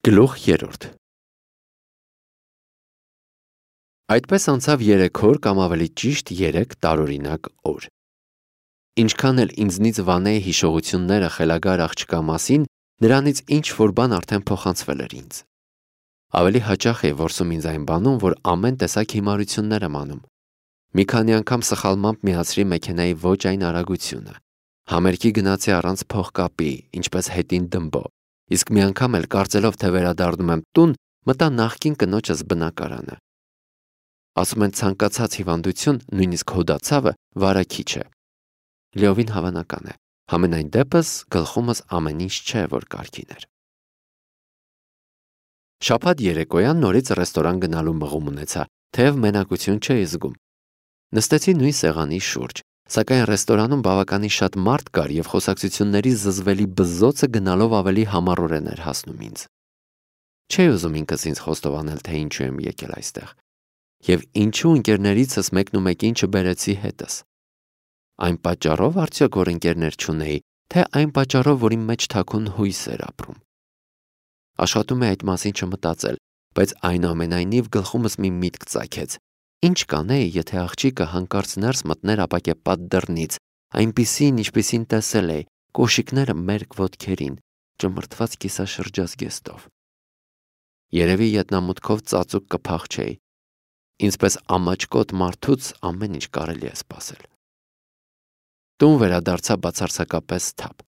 Գլուխ 3 Այդպես անցավ 3 օր կամ ավելի ճիշտ 3 տարօրինակ օր։ Ինչքան էլ ինձնից վանեի հիշողությունները խելագար աղջկա մասին, նրանից ինչ-որ բան արդեն փոխանցվել էր ինձ։ Ավելի հաճախ էի որսում ինձ այն բանում, որ ամեն տեսակ հիմարություններ եմ անում։ Մի քանի անգամ սխալմամբ միացրի մեքենայի ոչ այն արագությունը։ Համերգի գնացի առանց փողկապի, ինչպես հետին դմբո, իսկ մի անգամ էլ կարծելով, թե վերադառնում եմ տուն, մտա նախկին կնոջս բնակարանը։ Ասում են ցանկացած հիվանդություն, նույնիսկ հոդացավը, վարակիչ է։ Լիովին հավանական է, համենայն դեպս գլխումս ամեն ինչ չէ, որ կարգին էր։ Շաբաթ երեկոյան նորից ռեստորան գնալու մղում ունեցա, թեև մենակություն չէի զգում։ Նստեցի նույն սեղանի շուրջ, սակայն ռեստորանում բավականին շատ մարդ կար և խոսակցությունների զզվելի բզզոցը գնալով ավելի համառորեն էր հասնում ինձ։ Չէի ուզում ինքս ինձ խոստովանել, թե ինչու եմ եկել այստեղ, և ինչու ընկերներիցս մեկնումեկին չբերեցի հետս։ Այն պատճառով արդյոք, որ ընկերներ չունեի, թե այն պատճառով, որ իմ մեջ թաքուն հույս էր ապրում։ Աշխատում էի այդ մասին չմտածել, բայց այնուամենայնիվ գլխումս մի միտք ծագեց։ Ինչ կանեի, եթե աղջիկը հանկարծ ներս մտներ ապակեպատ դռնից, այնպիսին, ինչպիսին տեսել էի, կոշիկները մերկ ոտքերին, ճմրթված կիսաշրջազգեստով։ Երևի ետնամուտքով ծածուկ կփախչեի։ Ինձպես ամաչկոտ մարդուց ամեն ինչ կարելի է սպասել։ Տուն վերադարձա բացարձակապես թափ։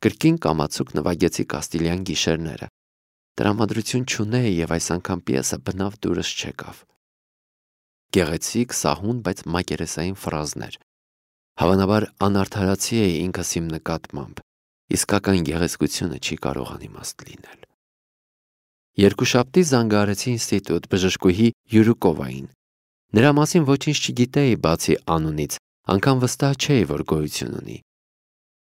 Կրկին կամացուկ նվագեցի Կաստիլյան գիշերները։ Տրամադրություն չունեի և այս անգամ պիեսը բնավ դուրս չեկավ։ Գեղեցիկ, սահուն, բայց մակերեսային ֆրազներ։ Հավանաբար անարդարացի էի ինքս իմ նկատմամբ, իսկական գեղեցկությունը չի կարող անիմաստ լինել։ Երկուշաբթի զանգահարեցի ինստիտուտ բժշկուհի Յուրուկովային։ Նրա մասին ոչինչ չգիտեի բացի անունից, անգամ վստահ չէի, որ գոյություն ունի։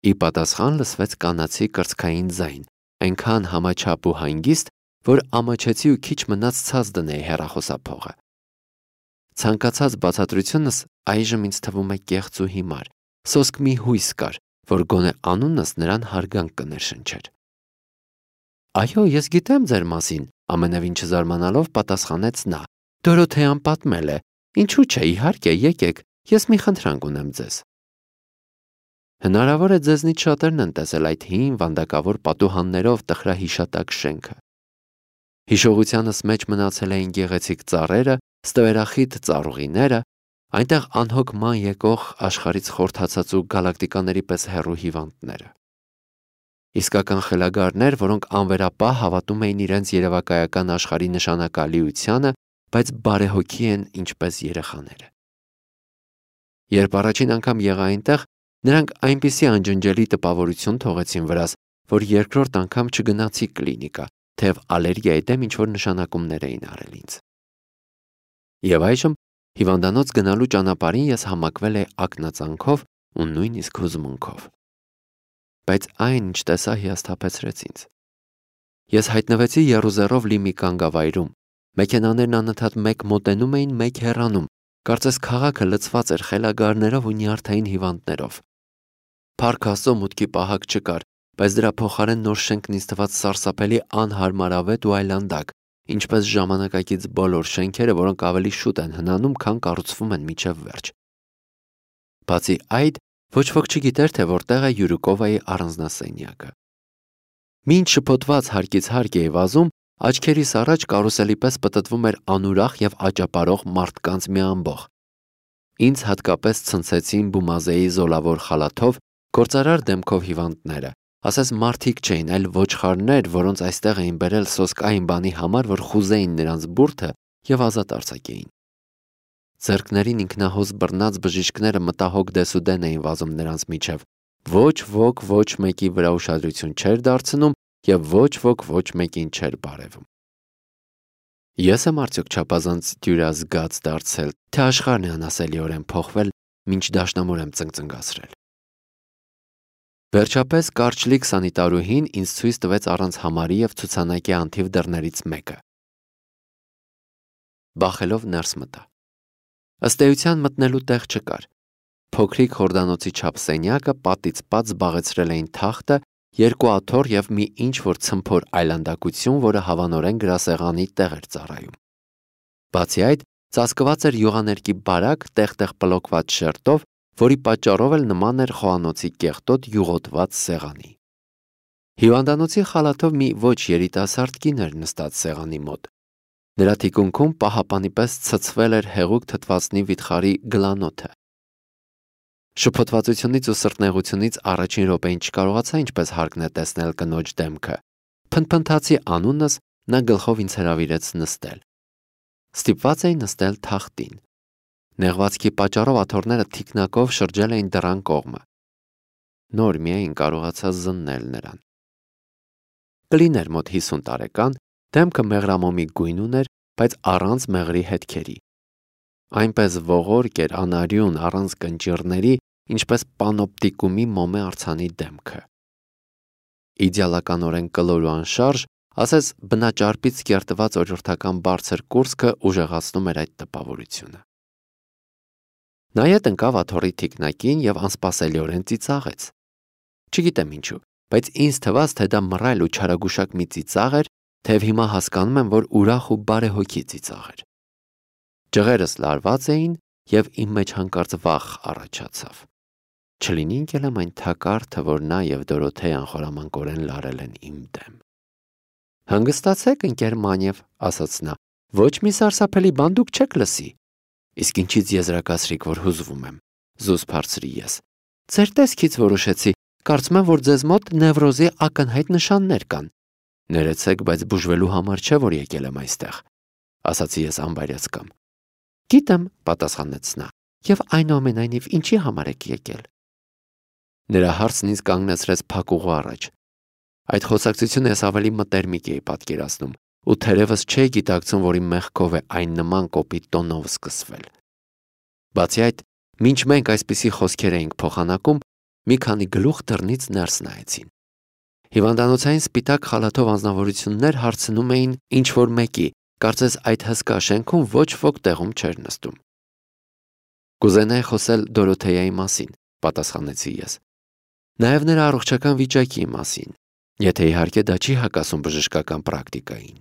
Ի պատասխան լսվեց կանացի կրծքային ձայն, այնքան համաչափ ու հանգիստ, որ ամաչեցի ու քիչ մնաց ցած դնեի հեռախոսափողը։ Ցանկացած բացատրությունս այժմ ինձ թվում է կեղծ ու հիմար, սոսկ մի հույս կար, որ գոնե անունս նրան հարգանք կներշնչեր։ Այո, ես գիտեմ ձեր մասին, ամենևին չզարմանալով պատասխանեց նա։ Դորոթեան պատմել է, ինչու՞ չէ, իհարկե, եկեք, ես մի խնդրանք ունեմ ձեզ։ Հնարավոր է ձեզնից շատերն են տեսել այդ հին վանդակավոր պատուհաններով տխրահիշատակ շենքը։ Հիշողությանս մեջ մնացել էին գեղեցիկ ծառերը, ստվերախիտ ծառուղիները, այնտեղ անհոգ ման եկող աշխարհից խորթացած ու գալակտիկաների պես հեռու հիվանդները։ Իսկական խելագարներ, որոնք անվերապահ հավատում էին իրենց երևակայական աշխարհի նշանակալիությանը, բայց բարեհոգի են ինչպես երեխաները։ Երբ առաջին անգամ եղա այնտեղ, նրանք այնպիսի անջնջելի տպավորություն թողեցին վրաս, որ երկրորդ անգամ չգնացի կլինիկա, թեև ալերգիայի դեմ ինչ-որ նշանակումներ էին արել ինձ։ Եվ այժմ հիվանդանոց գնալու ճանապարհին ես համակվել էի ակնածանքով ու նույնիսկ հուզմունքով։ Բայց այն, ինչ տեսա, հիասթափեցրեց ինձ։ Ես հայտնվեցի եռուզեռով լի մի կանգավայրում։ Մեքենաներն անընդհատ մեկ մոտենում էին, մեկ հեռանում, կարծես քաղաքը լցված էր խելագարներով ու նյարդային հիվանդներով։ Փառք Աստծո, մուտքի պահակ չկար, բայց դրա փոխարեն նոր շենքն ինձ թվաց սարսափելի անհարմարավետ ու այլանդակ, ինչպես ժամանակակից բոլոր շենքերը, որոնք ավելի շուտ են հնանում, քան կառուցվում են մինչև վերջ։ Բացի այդ, ոչ ոք չգիտեր, թե որտեղ է Յուրուկովայի առանձնասենյակը։ Մինչ շփոթված հարկից հարկ էի վազում, աչքերիս առաջ կարուսելի պես պտտվում էր անուրախ և աճապարող մարդկանց մի ամբոխ։ Ինձ հատկապես ցնցեցին Բումազեի զոլավոր խալաթով, գործարար դեմքով հիվանդները, ասես մարդիկ չէին, այլ ոչխարներ, որոնց այստեղ էին բերել սոսկ այն բանի համար, որ խուզեին նրանց բուրդը և ազատ արձակեին։ Ձեռքներին ինքնահոս բռնած բժիշկները մտահոգ դեսուդեն էին վազում նրանց միջև։ Ոչ ոք ոչ մեկի վրա ուշադրություն չէր դարձնում և ոչ ոք ոչ մեկին չէր բարևում։ Ես եմ արդյոք չափազանց դյուրազգաց դարձել, թե աշխարհն է անասելիորեն փոխվել, մինչ դաշնամուր եմ ծնկծնգացրել։ Վերջապես կարճլիկ սանիտարուհին ինձ ցույց տվեց առանց համարի և ցուցանակի անթիվ դռներից մեկը։ Բախելով ներս մտա։ Ըստ էության մտնելու տեղ չկար։ Փոքրիկ խորդանոցի չափ սենյակը պատից պատ զբաղեցրել էին թախտը երկու աթոռ և մի ինչ-որ ցմփոր այլանդակություն, որը հավանորեն գրասեղանի տեղ էր ծառայում։ Բացի այդ, ծածկված էր յուղաներկի բարակ, տեղ-տեղ պլոկված շերտով, որի պատճառով էլ նման էր խոհանոցի կեղտոտ յուղոտված սեղանի։ Հիվանդանոցի խալաթով մի ոչ երիտասարդ կին էր նստած սեղանի մոտ։ Նրա թիկունքում պահապանի պես ցցվել էր հեղուկ թթվածնի վիթխարի գլանոթը։ Շփոթվածությունից ու սրտնեղությունից առաջին րոպեին չկարողացա ինչպես հարկն է տեսնել կնոջ դեմքը։ Փնթփնթացի անունս, նա գլխով ինձ հրավիրեց նստել։ Ստիպված էի նստել թախտին։ Նեղվածքի պատճառով աթոռները թիկնակով շրջել էին դռան կողմը։ Նոր միայն կարողացա զննել նրան։ Կլին էր մոտ 50 տարեկան, դեմքը մեղրամոմի գույն ուներ, բայց առանց մեղրի հետքերի։ Այնպես ողորկ էր, անարյուն, առանց կնճիռների, ինչպես պանոպտիկումի մոմե արձանի դեմքը։ Իդեալականորեն կլոր ու անշարժ, ասես բնաճարպից կերտված օրյորթական բարձր կուրծքը ուժեղացնում էր այդ տպավորությունը։ Նա ետ ընկավ աթոռի թիկնակին և անսպասելիորեն ծիծաղեց։ Չգիտեմ ինչու, բայց ինձ թվաց, թե դա մռայլ ու չարագուշակ մի ծիծաղ էր, թեև հիմա հասկանում եմ, որ ուրախ ու բարեհոգի ծիծաղ էր։ Ջղերս լարված էին, և իմ մեջ հանկարծ վախ առաջացավ։ Չլինի ընկել եմ այն թակարդը, որ նա և Դորոթեյան խորամանկորեն լարել են իմ դեմ։ Հանգստացեք, ընկեր Մանև, ասաց նա, ոչ մի սարսափելի բան դուք չեք լսի։ Իսկ ինչից եզրակացրիք, որ հուզվում եմ, զուսպ հարցրի ես։ Ձեր տեսքից որոշեցի, կարծում եմ, որ ձեզ մոտ նևրոզի ակնհայտ նշաններ կան։ Ներեցեք, բայց բուժվելու համար չէ, որ եկել եմ այստեղ, ասացի ես անբարյացկամ։ Գիտեմ, պատասխանեց նա, և այնուամենայնիվ ինչի համար եք եկել։ Նրա հարցն ինձ կանգնեցրեց փակուղու առաջ։ Այդ խոսակցությունը ես ավելի մտերմիկ էի պատկերացնում, ու թերևս չէի գիտակցում, որ իմ մեղքով է այն նման կոպիտ տոնով սկսվել։ Բացի այդ, մինչ մենք այսպիսի խոսքեր էինք փոխանակում, մի քանի գլուխ դռնից ներս նայեցին։ Հիվանդանոցային սպիտակ խալաթով անձնավորություններ հարցնում էին ինչ-որ մեկի, կարծես այդ հսկա շենքում ոչ ոք տեղում չէր նստում։ Կուզենայի խոսել Դորոթեյայի մասին, պատասխանեցի ես։ Նաև նրա առողջական վիճակի մասին, եթե իհարկե դա չի հակասում բժշկական պրակտիկային։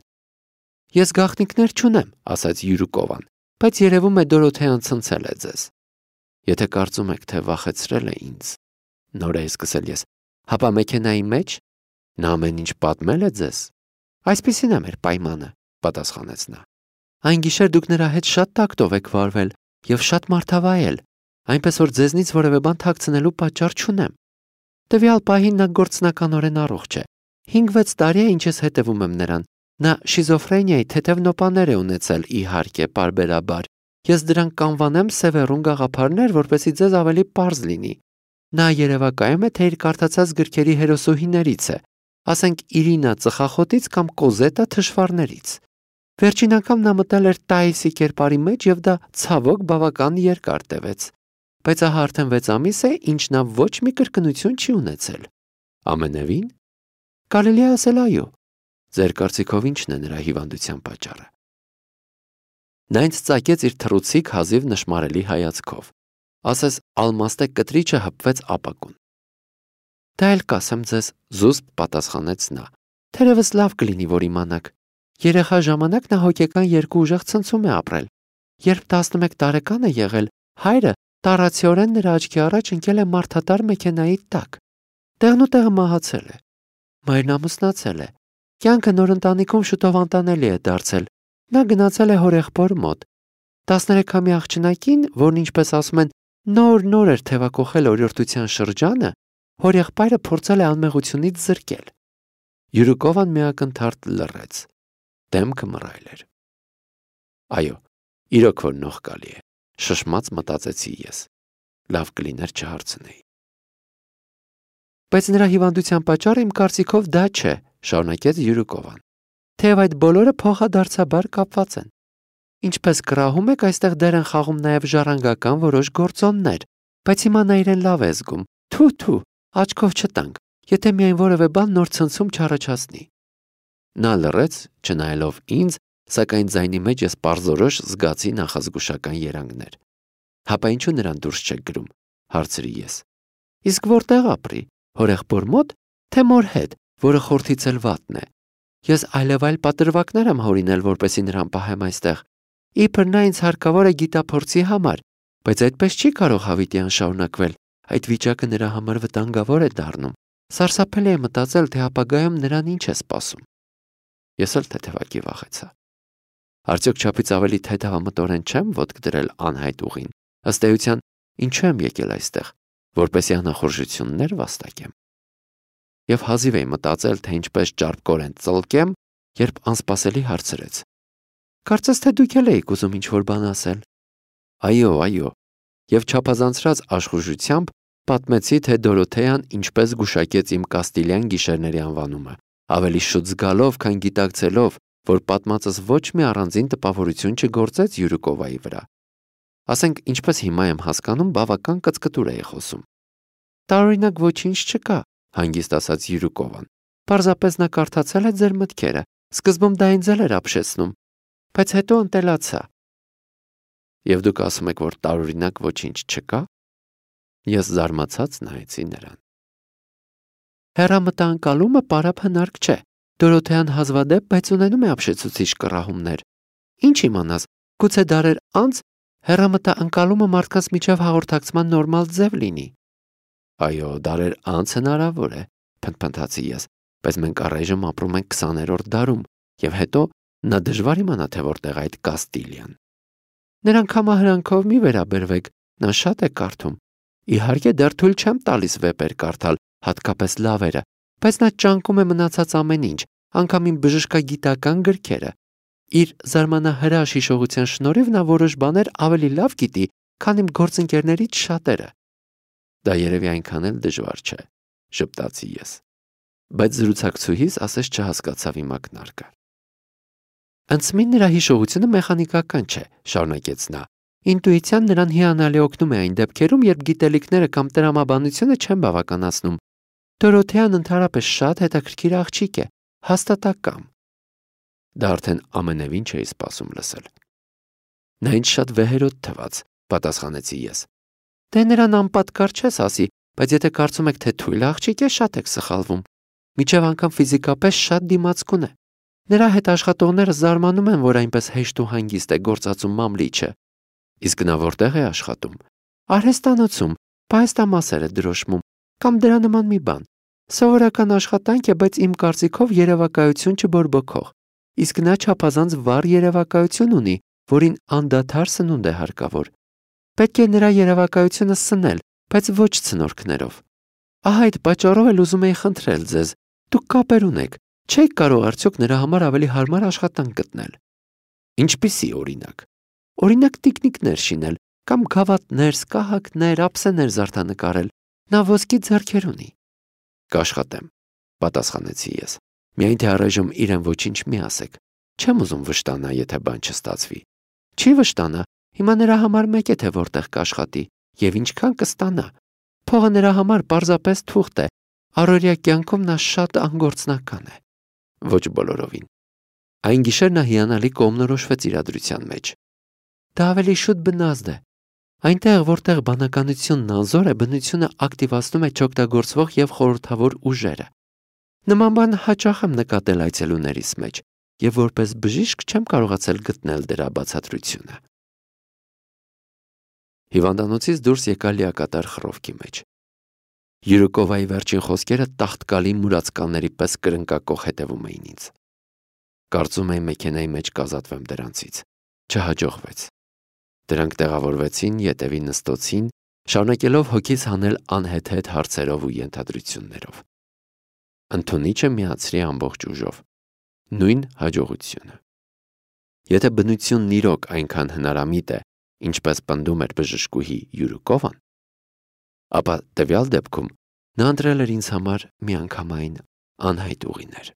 Ես գաղտնիքներ չունեմ, ասաց Յուրուկովան, բայց երևում է Դորոթեյան ցնցել է ձեզ։ Եթե կարծում եք, թե վախեցրել է ինձ, նոր էի սկսել ես, հապա մեքենայի մեջ նա ամեն ինչ պատմել է ձեզ։ Այսպիսին է մեր պայմանը, պատասխանեց նա։ Այն գիշեր դուք նրա հետ շատ տակտով եք վարվել և շատ մարդավայել, այնպես որ ձեզնից որևէ բան թաքցնելու պատճառ չունեմ։ Տվյալ պահին նա գործնականորեն առողջ է։ 5-6 տարի է, ինչ ես հետևում եմ նրան։ Նա շիզոֆրենիայի թեթև նոպաներ է ունեցել, իհարկե, պարբերաբար։ Ես դրանք կանվանեմ սևեռուն գաղափարներ, որպեսզի ձեզ ավելի պարզ լինի։ Նա երևակայում է, թե իր կարդացած գրքերի հերոսուհիներից է, ասենք Իրինա ծխախոտից կամ Կոզետա թշվառներից։ Վերջին անգամ նա մտել էր Տայիսի կերպարի մեջ և դա ցավոք բավական երկար տևեց։ Բայց ահա արդեն 6 ամիս է, ինչ նա ոչ մի կրկնություն չի ունեցել։ Ամենևին։ Կարելի է ասել այո։ Ձեր կարծիքով ի՞նչն է նրա հիվանդության պատճառը։ Նա ինձ ծակեց իր թռուցիկ հազիվ նշմարելի հայացքով։ Ասես ալմաստե կտրիչը հպվեց ապակուն։ Դա էլ կասեմ ձեզ, զուսպ պատասխանեց նա։ Թերևս լավ կլինի, որ իմանաք։ Երեխա ժամանակ նա հոգեկան երկու ուժեղ ցնցում է ապրել։ Երբ 11 տարեկան է եղել, հայրը տառացիորեն նրա աչքի առաջ ընկել է մարդատար մեքենայի տակ։ Տեղն ու տեղը մահացել է։ Մայրն ամուսնացել է։ Կյանքը նոր ընտանիքում շուտով անտանելի է դարձել։ Նա գնացել է հորեղբոր մոտ։ 13-ամյա աղջնակին, որն ինչպես ասում են, նոր էր թևակոխել օրիորդության շրջանը, հորեղբայրը փորձել է անմեղությունից զրկել։ Յուրուկովան միակնթարթ լռեց։ Դեմքը մռայլ էր։ Այո, իրոք որ նողկալի է, շշմած մտածեցի ես։ Լավ կլիներ չհարցնեի։ Բայց նրա հիվանդության պատճառը իմ կարծիքով դա չէ, շարունակեց Յուրուկովան։ Թեև այդ բոլորը փոխադարձաբար կապված են։ Ինչպես կռահում եք, այստեղ դեր են խաղում նաև ժառանգական որոշ գործոններ, բայց հիմա նա իրեն լավ է զգում։ Թու, աչքով չտանք, եթե միայն որևէ բան նոր ցնցում չառաջացնի։ Նա լռեց, չնայելով ինձ, սակայն ձայնի մեջ ես պարզորոշ զգացի նախազգուշական երանգներ։ Հապա ինչու նրան դուրս չեք գրում, հարցրի ես։ Իսկ որտեղ ապրի, հորեղբոր մոտ, թե մոր հետ, որը խորթից էլ վատն է։ Ես այլևայլ պատրվակներ եմ հորինել, որպեսի նրան պահեմ այստեղ։ Իբր նա ինձ հարկավոր է գիտափորձի համար, բայց այդպես չի կարող հավիտյան շարունակվել։ Այդ վիճակը նրա համար վտանգավոր է դառնում։ Սարսափելի է մտածել, թե ապագայում նրան ինչ է սպասում։ Ես էլ թեթևակի վախեցա։ Արդյոք չափից ավելի թեթևամտորեն չեմ ոտք դրել անհայտ ուղին։ Ըստ էության, ինչու եմ եկել այստեղ, որպեսզի անախորժություններ վաստակեմ։ Եվ հազիվ էի մտածել, թե ինչպես ճարպկորեն ծլկեմ, երբ անսպասելի հարցրեց. Կարծես թե դուք էլ էիք ուզում ինչ-որ բան ասել։ Այո, եւ չափազանցրած աշխուժությամբ պատմեցի, թե Դորոթեան ինչպես գուշակեց իմ Կաստիլյան գիշերների անվանումը, ավելի շուտ զգալով, քան գիտակցելով, որ պատմածս ոչ մի առանձին տպավորություն չգործեց Յուրուկովայի վրա։ Ասենք, ինչպես հիմա եմ հասկանում, բավական կծկտուր էի խոսում։ Տարօրինակ ոչինչ չկա, հանգիստ ասաց Յուրուկովան։ Պարզապես նա կարդացել է ձեր մտքերը, սկզբում դա ինձ էլ էր ապշեցնում, բայց հետո ընտելացա։ Եվ դուք ասում եք, որ տարօրինակ ոչինչ չկա։ Ես զարմացած նայեցի նրան։ Հեռամտանկալումը պարապ հնարք չէ։ Դորոթեան հազվադեպ, բայց ունենում է ապշեցուցիչ կռահումներ։ Ինչ իմանաս, գուցե դարեր անց հեռամտանկալումը մարդկանց միջև հաղորդակցման նորմալ ձև լինի։ Այո, դարեր անց հնարավոր է, փնթփնթացի ես, բայց մենք առայժմ ապրում ենք 20-րդ դարում, եւ հետո նա դժվար իմանա, թե որտեղ այդ Կաստիլիան։ Նրանք համահրանքով մի վերաբերվեք, նա շատ է կարդում։ Իհարկե դեռ թույլ չեմ տալիս վեպեր կարդալ, հատկապես լավերը, բայց նա ճանկում է մնացած ամեն ինչ, անգամ իմ բժշկագիտական գրքերը։ Իր զարմանահրաշ հիշողության շնորհիվ նա որոշ բաներ ավելի լավ գիտի, քան իմ գործընկերներից շատերը։ Դա երևի այնքան էլ դժվար չէ, ժպտացի ես։ Բայց զրուցակցուհիս ասես չհասկացավ իմ ակնարկը։ Անցմին նրա հիշողությունը մեխանիկական չէ, շարունակեց նա։ Ինտուիցիան նրան հիանալի օգնում է այն դեպքերում, երբ գիտելիքները կամ տրամաբանությունը չեն բավականացնում։ Դորոթեան ընդհանրապես շատ հետաքրքիր աղջիկ է, հաստատակամ։ Դա արդեն ամենևին չէի սպասում լսել։ Նա ինձ շատ վեհերոտ թվաց, պատասխանեցի ես։ Դե նրան անպատկառ չես ասի, բայց եթե կարծում եք, թե թույլ աղջիկ է, շատ եք սխալվում։ Միջև անգամ ֆիզիկապես շատ դիմացկուն է։ Նրա հետ աշխատողները զարմանում են, որ այնպես հեշտ ու հանգիստ է գործածում մամլիչը։ Իսկ նա որտեղ է աշխատում։ Արհեստանոցում, պահեստամասեր է դրոշմում, կամ դրա նման մի բան։ Սովորական աշխատանք է, բայց իմ կարծիքով երևակայություն չբորբոքող։ Իսկ նա չափազանց վառ երևակայություն ունի, որին անդադար սնունդ է հարկավոր։ Պետք է նրա երևակայությունը սնել, բայց ոչ ցնորքներով։ Ահա այդ պատճառով էլ ուզում էի խնդրել ձեզ, դուք կապեր ունեք, չեք կարող արդյոք նրա համար ավելի հարմար աշխատանք գտնել։ Ինչպիսի օրինակ։ Օրինակ տիկնիկներ շինել, կամ գավաթներ, սկահակներ, ափսեներ զարդանկարել։ Նա ոսկի ձեռքեր ունի։ Կաշխատեմ, պատասխանեցի ես։ Միայն թե առայժմ իրեն ոչինչ մի ասեք։ Չեմ ուզում վշտանա, եթե բան չստացվի։ Չի վշտանա, հիմա նրա համար մեկ է, թե որտեղ կաշխատի եւ ինչքան կստանա։ Փողը նրա համար պարզապես թուղթ է։ Առօրյա կյանքում նա շատ անգործնական է։ Ոչ բոլորովին։ Այն գիշեր նա հիանալի կողմնորոշվեց իրադրության մեջ։ Դա ավելի շուտ բնազդ է։ Այնտեղ, որտեղ բանականությունն անզոր է, բնությունը ակտիվացնում է չօգտագործվող եւ խորհրդավոր ուժերը։ Նման բան հաճախ եմ նկատել այցելուներիս մեջ, եւ որպես բժիշկ չեմ կարողացել գտնել դրա բացատրությունը։ Հիվանդանոցից դուրս եկա լիակատար խռովքի մեջ։ Յուրուկովայի վերջին խոսքերը տախտկալի մուրացկանների պես կրնկակող հետևում էին ինձ։ Կարծում էի մեքենայի մեջ կազատվեմ դրանցից։ Չհաջողվեց։ Դրանք տեղավորվեցին ետևի նստոցին, շարունակելով հոգիս հանել անհեթեթ հարցերով ու ենթադրություններով։ Ընդունիչը միացրի ամբողջ ուժով։ Նույն հաջողությունը։ Եթե բնությունն իրոք այնքան հնարամիտ է, ինչպես պնդում էր բժշկուհի Յուրուկովան, ապա տվյալ դեպքում նա ընտրել էր ինձ համար միանգամայն անհայտ ուղիներ։